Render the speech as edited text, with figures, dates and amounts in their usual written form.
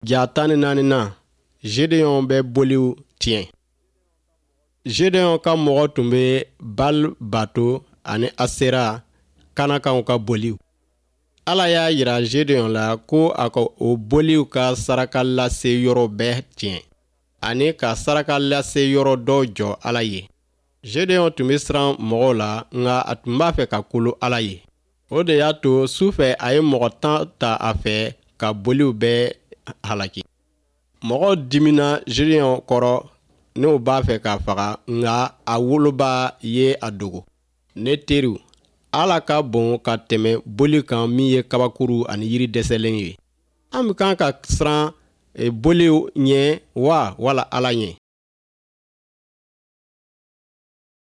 Ja 14nan, Zedeɔn bɛ boliw tiɲɛ. Zedeɔn ka mɔgɔ tun bɛ Bali bato ani Asera, Kanakaw ka boliw. Ala y'a jira Zedeɔn la ko a ka o boliw ka saraka lase yɔrɔ bɛɛ tiɲɛ, ani ka saraka lase yɔrɔ dɔ jɔ Ala ye. Zedeɔn tun bɛ siran mɔgɔw la, nka a tun b'a fɛ ka kolo Ala ye. O de y'a to su fɛ, a ye mɔgɔ 10 ta a fɛ ka boliw bɛɛ halaki. Mɔgɔw dimina Zedeɔn kɔrɔ n'o b'a fɛ k'a faga, nka a woloba ye a dogo. Ne teriw, Ala ka bon ka tɛmɛ boli kan min ye kabakuru ani yiri dɛsɛlen ye. An bɛ kan ka siran boliw ɲɛ wa, wala Ala ɲɛ?